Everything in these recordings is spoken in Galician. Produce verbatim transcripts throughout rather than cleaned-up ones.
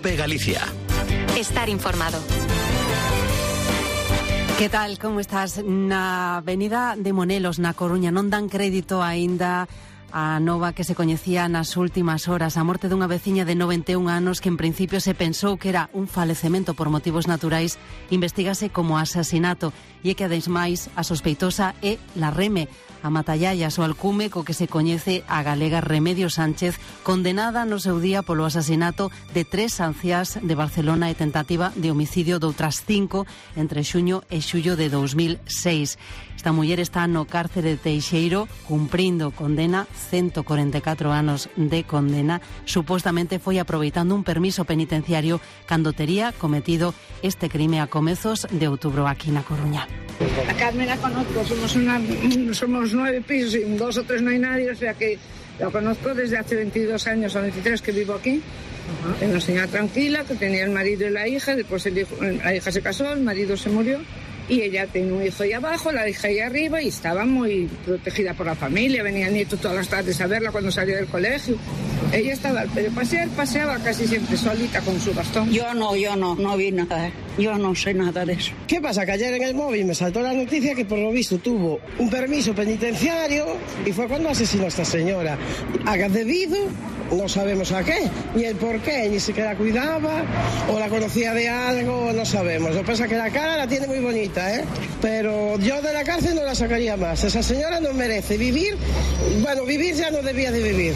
COPE Galicia. Estar informado. Que tal, como estás? Na avenida de Monelos, na Coruña, non dan crédito aínda a nova que se coñecía nas últimas horas, a morte dunha veciña de noventa e un anos que en principio se pensou que era un falecemento por motivos naturais, investigase como asasinato, e é que ademais a sospeitosa é la Reme, a matallallas, o alcume co que se coñece a galega Remedios Sánchez, condenada no seu día polo asasinato de tres anciás de Barcelona e tentativa de homicidio de outras cinco entre xuño e xullo de dos mil seis. Esta muller está no cárcere de Teixeiro cumprindo condena, ciento cuarenta e catro anos de condena. Supostamente foi aproveitando un permiso penitenciario cando tería cometido este crime a comezos de outubro aquí na Coruña. A Carmen la conozco, somos una, somos nueve pisos y dos o tres no hay nadie, o sea que la conozco desde hace veintidós años o veintitrés que vivo aquí. Uh-huh. Es una señora tranquila que tenía el marido y la hija, después el hijo, la hija se casó, el marido se murió y ella tenía un hijo ahí abajo, la hija ahí arriba y estaba muy protegida por la familia, venía el nieto todas las tardes a verla cuando salía del colegio. Ella estaba al pasear, paseaba casi siempre solita con su bastón. Yo no, yo no, no vi nada, yo no sé nada de eso. ¿Qué pasa? Que ayer en el móvil me saltó la noticia que por lo visto tuvo un permiso penitenciario y fue cuando asesinó a esta señora. Haga debido, no sabemos a qué, ni el por qué, ni siquiera cuidaba, o la conocía de algo, no sabemos. Lo que pasa es que la cara la tiene muy bonita, ¿eh? Pero yo de la cárcel no la sacaría más. Esa señora no merece vivir, bueno, vivir ya no debía de vivir.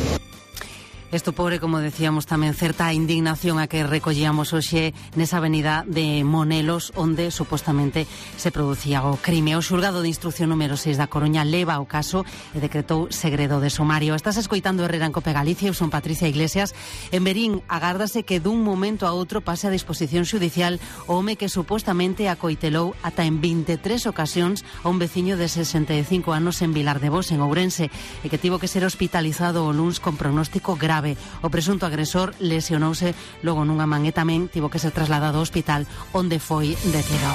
Isto pobre, como decíamos, tamén certa indignación a que recollíamos hoxe nesa avenida de Monelos, onde supostamente se producía o crime. O xulgado de instrucción número seis da Coruña leva o caso e decretou segredo de sumario. Estás escoitando Herrera en Cope Galicia, eu son Patricia Iglesias. En Verín, agárdase que dun momento a outro pase a disposición xudicial o home que supostamente acoitelou ata en veintitrés ocasións a un veciño de sesenta e cinco anos en Vilar de Bos, en Ourense, e que tivo que ser hospitalizado o luns con pronóstico grave. O presunto agresor lesionouse logo nunha man e tamén tivo que ser trasladado ao hospital onde foi detido.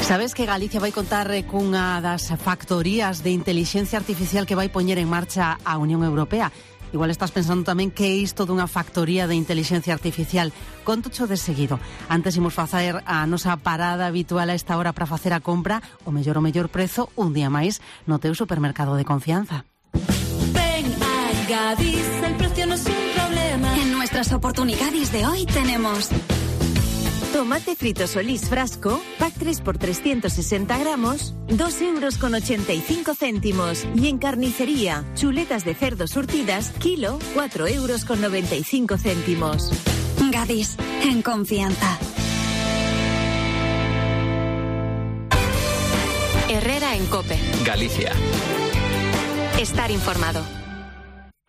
Sabes que Galicia vai contar cunha das factorías de inteligencia artificial que vai poñer en marcha a Unión Europea? Igual estás pensando tamén que é isto dunha factoría de inteligencia artificial. Contocho de seguido. Antes imos facer a nosa parada habitual a esta hora para facer a compra o mellor o mellor prezo un día máis no teu supermercado de confianza. Gadis, el precio no es un problema. En nuestras oportunidades de hoy tenemos tomate frito Solís frasco, pack tres por trescientos sesenta gramos, dos euros con ochenta y cinco céntimos. Y en carnicería, chuletas de cerdo surtidas, kilo, cuatro euros con noventa y cinco céntimos. Gadis, en confianza. Herrera en Cope Galicia. Estar informado.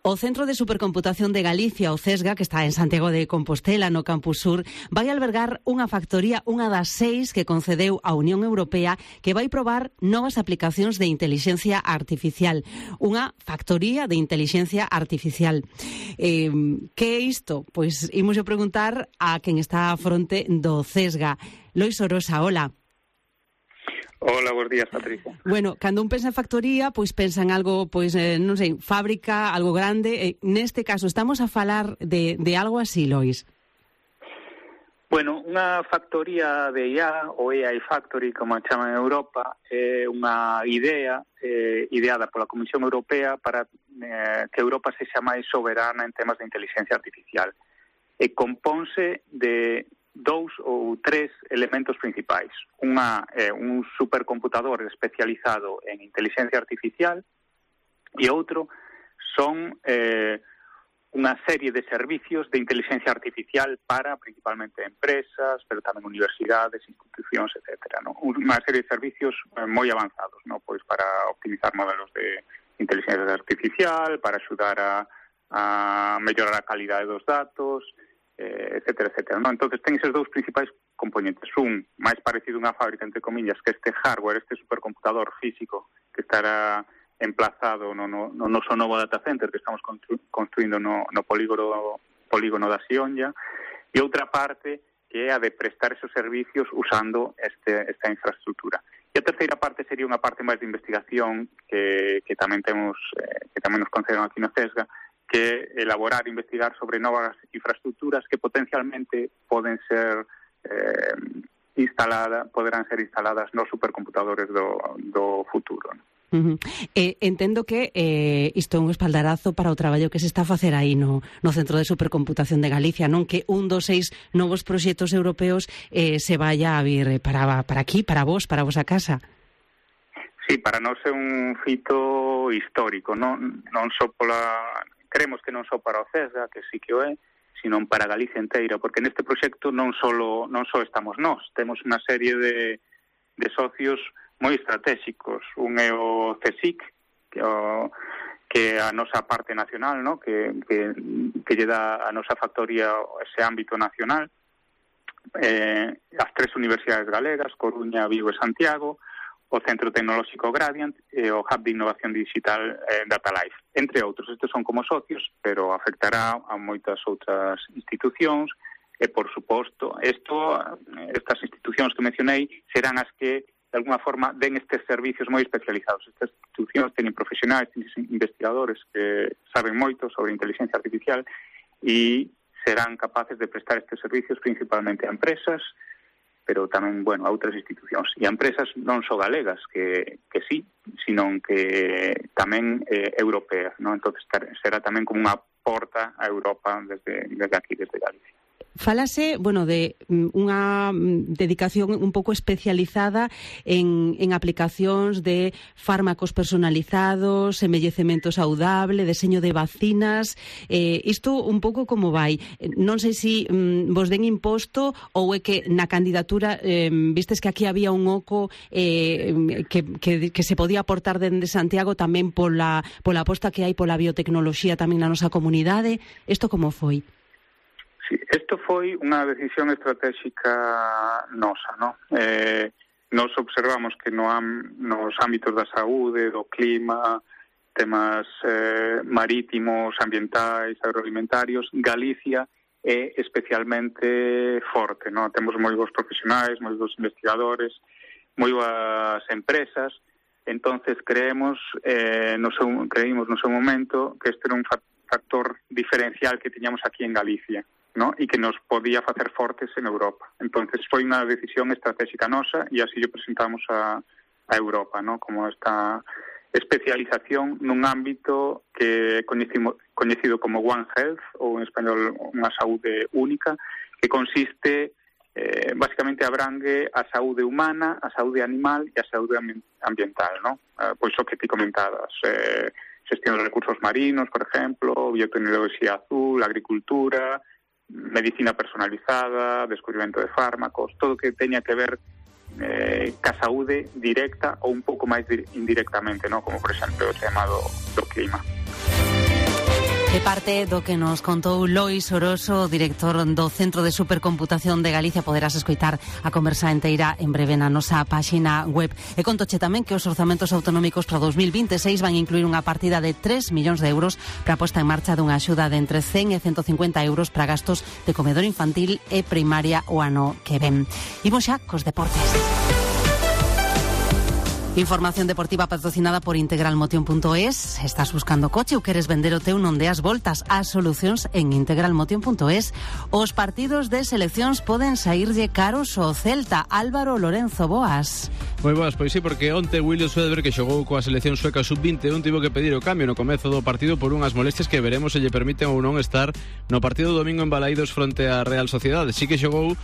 O Centro de Supercomputación de Galicia, o CESGA, que está en Santiago de Compostela, no Campus Sur, vai albergar unha factoría, unha das seis que concedeu a Unión Europea, que vai probar novas aplicacións de inteligencia artificial. Unha factoría de inteligencia artificial. Eh, que é isto? Pois imos a preguntar a quen está a fronte do CESGA. Lois Orosa, hola. Hola, buenos días, Patricia. Bueno, cando un pensa en factoría, pois pensa en algo, pois, eh, non sei, fábrica, algo grande. Eh, neste caso, estamos a falar de, de algo así, Lois? Bueno, unha factoría de I A, ou A I Factory, como a chaman en Europa, é unha idea eh, ideada pola Comisión Europea para eh, que Europa sexa máis soberana en temas de inteligencia artificial. E compónse de dous ou tres elementos principais. Unha, eh, un supercomputador especializado en inteligencia artificial e outro son eh, unha serie de servicios de inteligencia artificial para principalmente empresas, pero tamén universidades, institucións, etcétera, ¿no? Unha serie de servicios eh, moi avanzados, ¿no? Pois para optimizar modelos de inteligencia artificial, para axudar a, a mellorar a calidade dos datos, etcétera, etcétera, ¿no? Entonces ten esos dous principais componentes. Un, máis parecido a unha fábrica, entre comillas, que este hardware, este supercomputador físico que estará emplazado no, no, no noso novo data center que estamos constru- construindo no, no polígono, polígono da Xionlla, e outra parte que é a de prestar esos servicios usando este, esta infraestructura. E a terceira parte sería unha parte máis de investigación que, que tamén temos, eh, que tamén nos conceden aquí na CESGA, que elaborar e investigar sobre novas infraestructuras que potencialmente poden ser eh, instaladas, poderán ser instaladas nos supercomputadores do, do futuro, ¿no? Uh-huh. Eh, entendo que eh, isto é un espaldarazo para o traballo que se está a facer aí no, no Centro de Supercomputación de Galicia, non que un dos seis novos proxectos europeos eh, se vaya a vir para, para aquí, para vos, para a vosa casa. Sí, para nós é un fito histórico, non, non só pola... Creemos que non só para o CESGA, que sí que o é, sino para Galicia inteira, porque neste proxecto non só non só estamos nós, temos unha serie de, de socios moi estratégicos. Un é o CSIC, que, o, que é a nosa parte nacional, ¿no? que, que, que lle dá a nosa factoría ese ámbito nacional, eh, as tres universidades galegas, Coruña, Vigo e Santiago, o Centro Tecnolóxico Gradient e o Hub de Innovación Digital eh, DataLife, entre outros. Estes son como socios, pero afectará a moitas outras institucións e, por suposto, esto, estas institucións que mencionei serán as que, de alguna forma, den estes servicios moi especializados. Estas institucións teñen profesionais, teñen investigadores que saben moito sobre inteligencia artificial e serán capaces de prestar estes servicios principalmente a empresas, pero tamén, bueno, a outras institucións. E a empresas non só galegas, que, que sí, sino que tamén eh, europeas, ¿no? Entón, será tamén como unha porta a Europa desde, desde aquí, desde Galicia. Falase, bueno, de unha dedicación un pouco especializada en, en aplicacións de fármacos personalizados, envellecemento saudable, deseño de vacinas. Eh, isto un pouco como vai? Non sei se mm, vos den imposto ou é que na candidatura eh, vistes que aquí había un oco eh, que, que, que se podía aportar dende Santiago tamén pola, pola aposta que hai pola biotecnoloxía tamén na nosa comunidade. Isto como foi? Sí, isto foi unha decisión estratégica nosa, ¿no? Eh, nos observamos que no am, nos ámbitos da saúde, do clima, temas eh, marítimos, ambientais, agroalimentarios, Galicia é especialmente forte, ¿no? Temos moi bons profesionais, moi bons investigadores, moi boas empresas. Entonces creemos, eh, no seu, creímos no seu momento que este era un factor diferencial que tiñamos aquí en Galicia, ¿no? E que nos podía facer fortes en Europa. Entonces foi unha decisión estratégica nosa e así lle presentamos a, a Europa, ¿no? Como esta especialización nun ámbito que é coñecido como One Health, ou en español unha saúde única, que consiste, eh, basicamente abrangue a saúde humana, a saúde animal e a saúde ambiental, ¿no? Eh, pois o que ti comentabas, eh, xestión de recursos marinos, por exemplo, biotecnoloxía azul, agricultura, medicina personalizada, descubrimento de fármacos, todo que teña que ver eh, ca saúde directa ou un pouco máis indirectamente, ¿no? Como por exemplo o tema do, do clima. De parte do que nos contou Lois Oroso, director do Centro de Supercomputación de Galicia, poderás escoitar a conversa inteira en breve na nosa páxina web. E contoche tamén que os orzamentos autonómicos para dos mil vinte e seis van incluir unha partida de tres millóns de euros para a posta en marcha dunha axuda de entre cen e ciento cincuenta euros para gastos de comedor infantil e primaria o ano que ven. Imos xa cos deportes. Información deportiva patrocinada por integralmotion punto es. Estás buscando coche ou queres vender o teu, non deas voltas. As solucións en integralmotion punto es. Os partidos de seleccións poden saírlle caros ao Celta. Álvaro Lorenzo, boas. Moi boas, pois sí, porque onte William Swedberg, que xogou coa selección sueca sub vinte e un, tivo que pedir o cambio no comezo do partido por unhas molestias que veremos se lle permiten ou non estar no partido do domingo en Balaídos fronte á Real Sociedade. Sí que xogou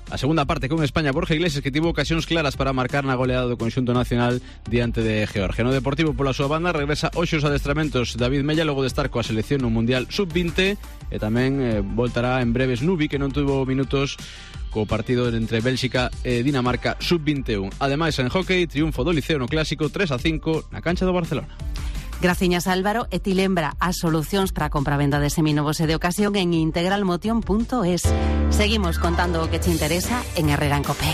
a segunda parte con España Borja Iglesias, que tivo ocasións claras para marcar na goleada do conxunto nacional diante de Georgia. No Deportivo, pola súa banda, regresa hoxe os adestramentos David Mella logo de estar coa selección no Mundial sub vinte e tamén eh, voltará en breves Nubi, que non tuvo minutos co partido entre Bélxica e Dinamarca sub vinte e un. Ademais, en hockey, triunfo do Liceo no Clásico tres a cinco na cancha do Barcelona. Graciñas, Álvaro, e ti lembra as solucións para a compra-venda de seminovos e de ocasión en integralmotion punto es. Seguimos contando o que te interesa en Herrera en Cope.